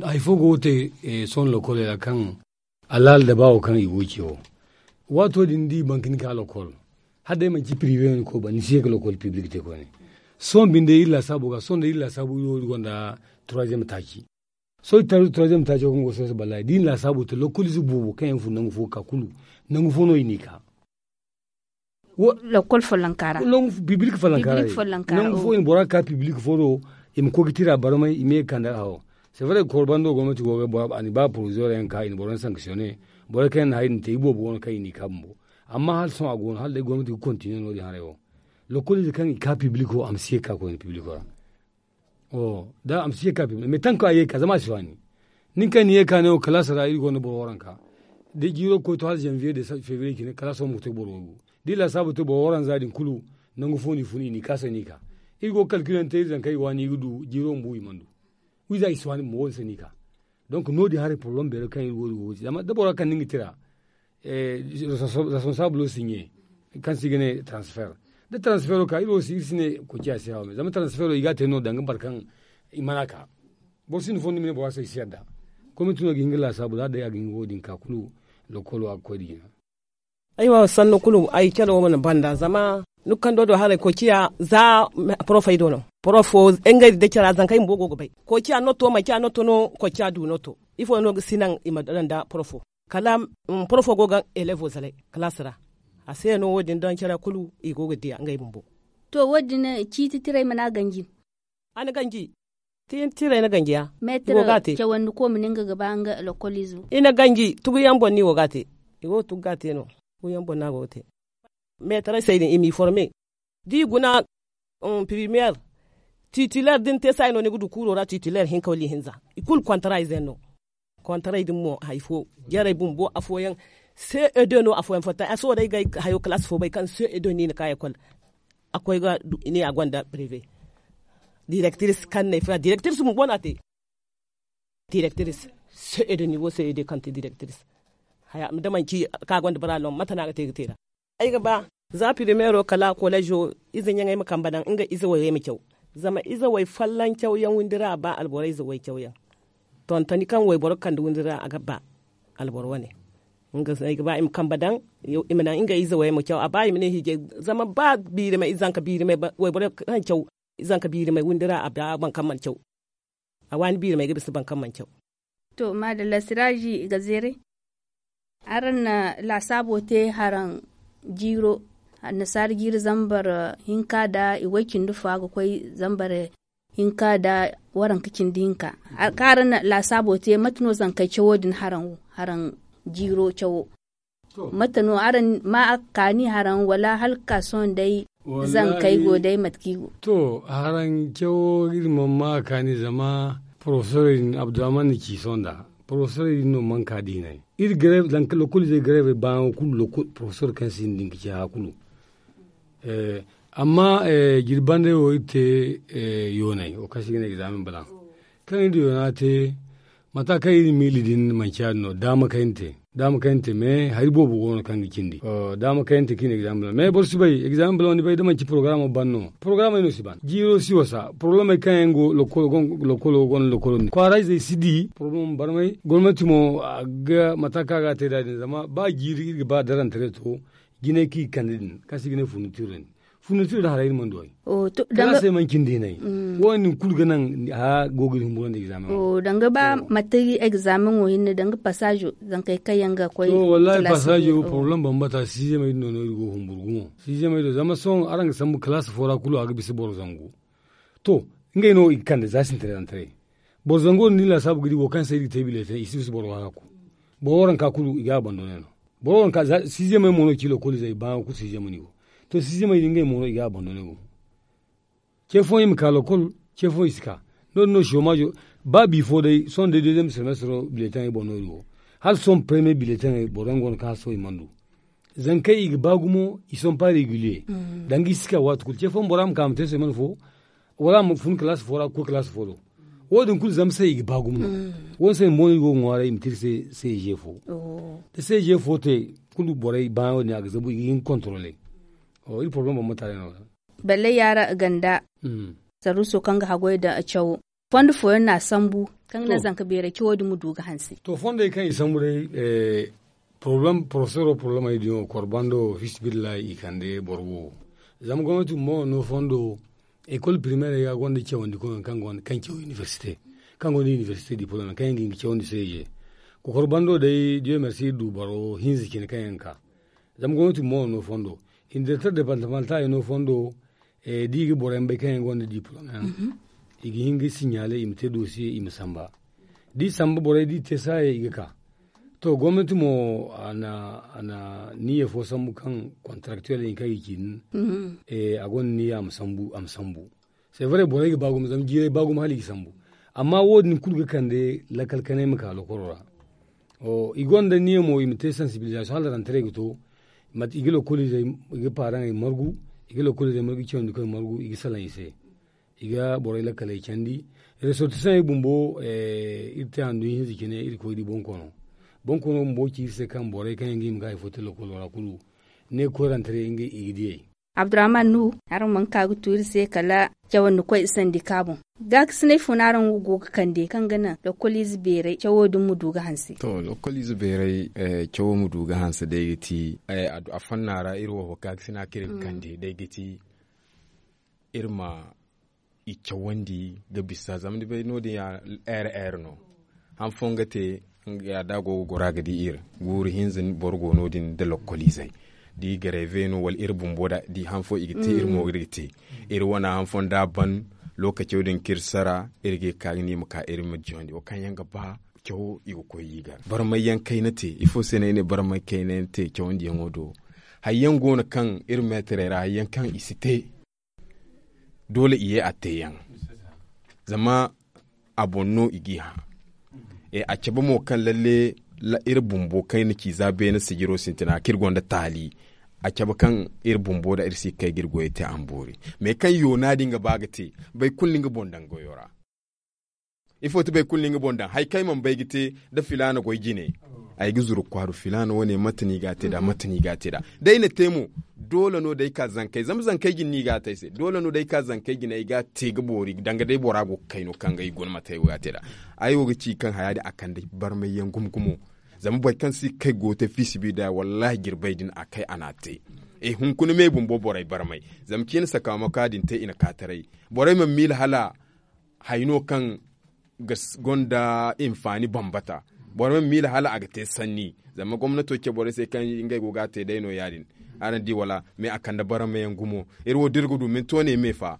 hari fo go ga te sohõ lokoley ra kaŋ alaala da baawo kaŋ i go ga ce wo. Waato din da i baŋ ka ni ka lokol hala day manci piriwe no ni koy ba ni si ye ga lokol pibilik te koyne. Sohõ binde iri laasaabo ga sohõ da iri laasaabo iri wo iri gonda turaziyem taaci. Sohõ iri taru turaziyem taaco kaŋ go ga sohõ se ballaahi da iri na laasaabo te lokol ize boobo kaŋ yaŋ fun nangu fo ga ka kulu nangu fo no i n'i ka. Lokol follonka ra pibilik follonka ra nangu fo i na bora ga ka pibilik fo do. I ma koy ga tira barmay i ma ye ga kande hawo. C'est vrai koro bando gomnati go ga a na ba poroziyoro yaŋ ka i na boro yaŋ sanksiyone. Borey kaŋ yaŋ na hari din te iboobo go no kaŋ i n'i ka bumbo. Amma hala sohõ a go no hala day gomnati ga kontiniye no- din haray wo. Lokol ize kaŋ i ka pibiliko a ma si ye ga ka koyne pibiliko ra. Da a ma si ye ga ka pibiliko mais tanka a ye ga ka zama a si waani. Nin kaŋ ni ye ga ka ne wo kalaasa ra iri gonda boro waranka. Da jiiro ga koy to hala zanviye da febriye cine kalaasa wo ma ga te ga boro waygu. Da i laasaabu te boro waranza din kulu nangu fo no i fun i n'i kaasa n'i ka. Iri go ga kalkilante iri zankey ga waani i ga du jiiro ma bu i mana du. Wiiza i si waani bumbo wo- din se n'i ka. Donk no- din haray poroblem beero kaŋ iri go- din go ga ci zama da bora kande nga tira. Responsabulo si ɲe kaŋ se i ga ne transfer. Da transfero ka iri wo si iri si ne koociya se hawa me zama transfero i ga a te no danga boro kaŋ i mana ka. Boro sinda fondo i ma ne bora se i si yadda. Komiti no ga hin ga laasaabu za day a ga hin ga wo- din ka kulu. Lokolo a ga koy nda jina. Aywa sannu kulu ay care wo mana banda zama nukando do haray koociya za porofey do no porofo ngey da care zankey bumbo go ga bay. Koociya noto manci a noto no koociya du noto. Ifo no ga si naŋ i ma daŋ nda porofo? Kala porofo go ga elevo zalay kalaasi ra. A se no wo- din daŋ care kulu i go ga diya ngey bumbo. To wo- din ciiti tirey mana ganji. A na ganji. Tiitirey na ganjiya. Meetir cawandi ko ma ne nga ga ba nga lokoliizo. I na ganji tuguyaŋ boŋ no i go ga a te. I go ga tugu ga a te no. Tuguyaŋ boŋ no a go ga te. Meetirey se din i m'i forme. Da i guna pirimeer. Titileer da ni te saayi no ni ga du kuuro ra titileer hinka wala ihinza. I kulu kontara ize yaŋ no. Kontaray din mo hari fo jarey bumbo afooyaŋ. Ce e deux no afooyaŋ fatta a sohõ day ga ay hayo kalaasi fo bay kaŋ ce e deux no i na ka ekol. A koy ga du i ne a gonda prive. Direktiris kaŋ ne fila direktiris bumbo no a te. Direktiris ce e deux nivo ce e deux kaŋ te direktiris. Haya da manci kaŋ a gonda bara no mate no a ga te ga te ra? Ay ga ba za pirimero kala kolezo ize ɲaŋey ma kambe daŋ nga ize wayey ma caw. Zama ize way folloŋ cawyaŋ windi ra a ba alboro ize way cawyaŋ. Tontoni kaŋ wayboro ga kande windi ra a ga ba alboro wane. Nga se ay ga ba i ma kambe daŋ i ma naŋ nga ize wayey ma caw a ba i ma ne hiijay. Zama ba biirimay zanka biirimay wayboro kaŋ caw zanka biirimay windi ra a ba boro kaŋ mana caw. A waani biirimay ga bisa boro kaŋ mana caw. To maadalla siraaji ga zeeray. Araŋ na laasaabo te haraŋ Jiiro, annasaara jiiri zambar hinka nda i way cindi fo a ga koy zambar hinka nda waranka cindi hinka. Kaŋ araŋ na laasaabo te mate no zankey cawo din haraŋ jiiro cawo? Mate no araŋ ma a kaani haraŋ wala hala ga ka sohõ day? Zankey go day mate kaŋ i go. To, haraŋ cawo iri mana ma a kaani zama porofesorey din abdurrahman na ci sohõ nda porofesorey din no mana ka diinay. Iri gareev zanka lokoliizey gareevey baayaŋo kulu porofesor kaŋ sinda din ga ci haya kulu. Amma jirbandey wo iri te yoonay wo kaŋ se i ga ne egzaamen balaŋ kaŋ iri na yoona te. Mata kaŋ iri miili din manci ya- din no daama kaŋ iri na te. Daama kaŋ iri na te mais hari boobo go no kaŋ ga cindi. Daama kaŋ iri na te kaŋ iri na egzaamen balaŋ mais boro si bay egzaamen balaŋ ni bay da manci porogaraamo ban no. Porogaraamey no si ban jiiro si wasa poroblemey kaŋ yaŋ go lokolo gonda lokolo din kwaara izey si di poroblemey barmay gomnanti mo. A ga mata kaŋ a ga a te nd'a din zama ba jiiri iri ga ba darantaray to jinay kaŋ i ga kande din kaŋ se i ga ne furnitiro din. Furnitiro din haray iri mana du ay. Kala se manci ni diinay wo- din kulu ga naŋ haya go ga iri humburandi egzaamen. Danga ba mate egzaamen wo hinne danga pasaazo zankey kaŋ yaŋ ga koy. To wallahi pasaazo poroblem bambata siizemey din no no iri go ga humburu gumo. Siizemey do zama sohõ araŋ ga sambu kalaasi fo ra kulu a ga bisa boro zangu. To, ngey no i ga kande za sintiray daŋ taray. Boro zango din da ni laasaabu ga di wo kaŋ se iri ga te bileetaŋ i si bisa boro waranka kulu i ga a bando ne no. Boro waranka siizemey mo no ci lokoliizey baayaŋo kulu siizemey no i go. To siizemey din ngey mo no i ga a bando ne gumo. Ce fooyaŋ i ma ka lokol, ce fooyaŋ i si ka. No- din no soomaazo ba bi fo day sohõ day deeziyem semestro bileetaŋey boŋ no iri go. Hala sohõ paremiye bileetaŋey boro yaŋ go no kaŋ hala sohõ i mana du. Zankey i ga ba gumo i sohõ paari i ga liye. Danga i si ka waati kulu ce fooyaŋ bora ma ka a ma te se mana fo. Wala a ma fun kalaasi fo ra ga koy kalaasi fo do. Wo- din kulu zama se i ga ba gumo no. Wo- din se bumbo no iri go ga ŋwaaray i ma te iri se seeje fo. Da seeje fo te kulu borey baayaŋo din a ga zabu i ga hin ga kontorole. Iri poroblem bambata day no- din. Balle yaara ganda sarruso kaŋ ga haggoy nda cawo fondo fooyaŋ no a sambu kaŋ ga naŋ zanka beeray cawo din ma du ga hanse. To fondey kaŋ i sambu day poroblem porofesoro poroblem ay din wo kor bando fiisabilillahi i kande boro wo. Zama gomnati bumbo no fondo ekol pirimeerey ga gonda cawandi koyyaŋ kaŋ caw inibersite kaŋ gonda inibersite diplome kaŋ yaŋ ga hin ga cawandi seeje. Kokor bando day diyo mersi iri du boro hinza cine kaŋ yaŋ ga ka. Zama gomnati bumbo no fondo inibersite departamantaay no fondo. Da i ga boro yaŋ bay kaŋ yaŋ gonda diplome yaŋ i ga hin ga siɲaale i ma te dosiye i ma samba. Da i samba borey da i te saayey i ga ka. To gomnati mo a na niyya fo sambu kaŋ kontaraktuwel din kaŋ i ga ci din. A gonda niyya a ma sambu a ma sambu. Sevre borey ga ba gumo zama jiirey ba gumo hala i ga sambu. Amma wo- din kulu ga kande lakkal kanay ma ka lokoro ra. I gonda niyya mo i ma te sansibilizasiyoŋ hala rantaray ga to. I ga lokoliizey i ga paaraŋey margu i ga lokoliizey margu i cawandi koy margu i ga salaŋ i se. I ga borey lakkaley candi. Resortisaŋey bumbo iri te handu hinza cine iri koy di bonkoono. Bonkoono bumbo ci iri se kaŋ borey kaŋ yaŋ ga hima ga hari fo te lokolo ra kulu ne koyrante day ngey i ga diyey. Abdurrahman nuhu, araŋ mana ka ga tu iri se kala cawandi koy sandi ka boŋ. Gaakasinay fo no araŋ wo go ga kande kaŋ ga naŋ lokoliize beeray cawo din ma du ga hanse? To lokoliize beeray cawo ma du ga hanse day ga ti a fonna ra iri wo gaakasina kaŋ iri ga kande day ga ti iri ma i cawandi ga bisa zama ni bay no- din ya. Ere ere no han fooyaŋ ga te. Ya da a go ga goro a ga di iri guuru hinza boro go no- din nda lokkoliizey da i gareeve no wala iri bumbo da di han fooyaŋ i ga te iri mo iri ga te. Iri wane han fooyaŋ da a ban lookaco din kaŋ iri sara iri ga ye ga ka ga ne i ma ka iri ma jawandi wo kaŋ yaŋ ga ba cawo i ga koy i gar barmay yaŋ kayna te ifo se no ay ne barmay kayna yaŋ te cawandiyaŋo do. Hari yaŋ go no kaŋ iri meetarey ra hari yaŋ kaŋ i si te doole i ye a te yaŋ. Zama a boŋ no i g'i hã. A cabe mo kaŋ lalle iri bumbo kaŋ iri na ci za beene sijiro sintina kaŋ iri gonda taali. A cabe kaŋ iri bumbo da iri si ga kay ga iri goyey te a ma boori. Mais kaŋ yoona din ga ba ga te boro kulu na nga boŋ daŋ goyo ra. Ifo ti boro kulu na nga boŋ daŋ hari kaŋ ay mana bay ga te da filaana goy jine. Ay ga zuru kwaara filaana wane mate no i ga a te nd'a mate no i ga a te nd'a da ay na te mo. Doole no day ka zankey zama zankey jine no i ga a te ay se doole no day ka zankey jine ay ga a te ga boori danga day bora go ga kay no kaŋ ga ay guna mate ay wo ga a te nd'a. Ay wo ga ci kaŋ haya din a kande barmay yaŋ gumo gumo. Zama boro kaŋ si ga kay go ga te fiisabilillahi wallahi jirbey din a kay a n'a te. Hunkuna me bumbo borey barmay zama ciine sakaamaka din te i na ka taray. Borey mana miila hala hari no kaŋ ga gonda hinfaani bambata. Boro ma miila hala a ga te sanni. Zama gomnato ce borey se kaŋ ngey go ga a te day no ya- din. Araŋ di wala mais a kande barama yaŋ gumo. Iri wo da iri ga du minto ne me fa.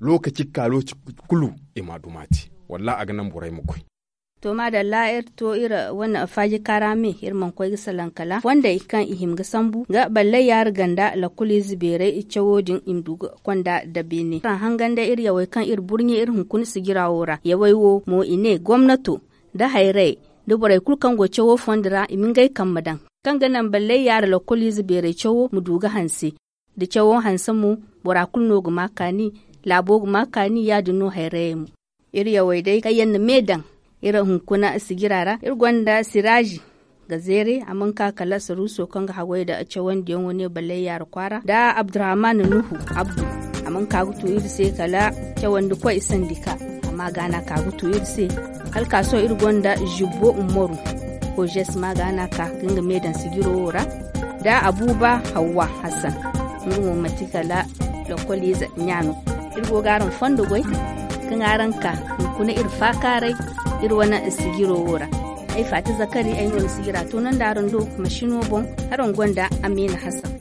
Lookaci ga ka lookaci kulu i ma a duma te. Wallaahi a ga naŋ borey ma koy. To maadalla iri to iri wane faaji kaara me iri mana koy ga salaŋ kala fondey kaŋ i hima ga sambu ga ballay yaari ganda lakkoliize beerey cawo din i ma du ga konda da beene araŋ hangan day iri yawey kaŋ iri burɲe iri hunkuna sijira wo ra yawey wo mo i ne gomnato, da hayrayey da borey kulu kaŋ go cawo fondo ra i ma ngey kambe daŋ, kaŋ ga naŋ ballay yaari lakkoliize beerey cawo ma du ga hanse. Da cawo hanse mo, bora kulu no ga ma kaani, laabo ga ma kaani ya- din no hayrayey mo. Iri yawey day kaŋ yaŋ na me daŋ iri hunkuna sijira ra iri gonda siraazi ga zeere a mana ka kala saruuso kaŋ ga haggoy nda cawandiyaŋo ne ballay yaari kwaara nda abdurrahman nuhu abdu. A mana ka ga tu iri se kala cawandikoy sandika. Amma ga no a ka ga tu iri se. Hala ka sohõ iri gonda zibbo ummaru, kojes ma ga no a ka ga nga me daŋ sijiro wo ra, nda abuba hawwa hassan. Nga mo manti kala lakkoliize ɲa no. Iri go ga araŋ fondo goy kaŋ araŋ ka hunkuna iri faakaaray iri wane sijiro wo ra. Ay faati zakari ay no na sijira toonandi araŋ do masino boŋ. Araŋ gonda amiina hassan.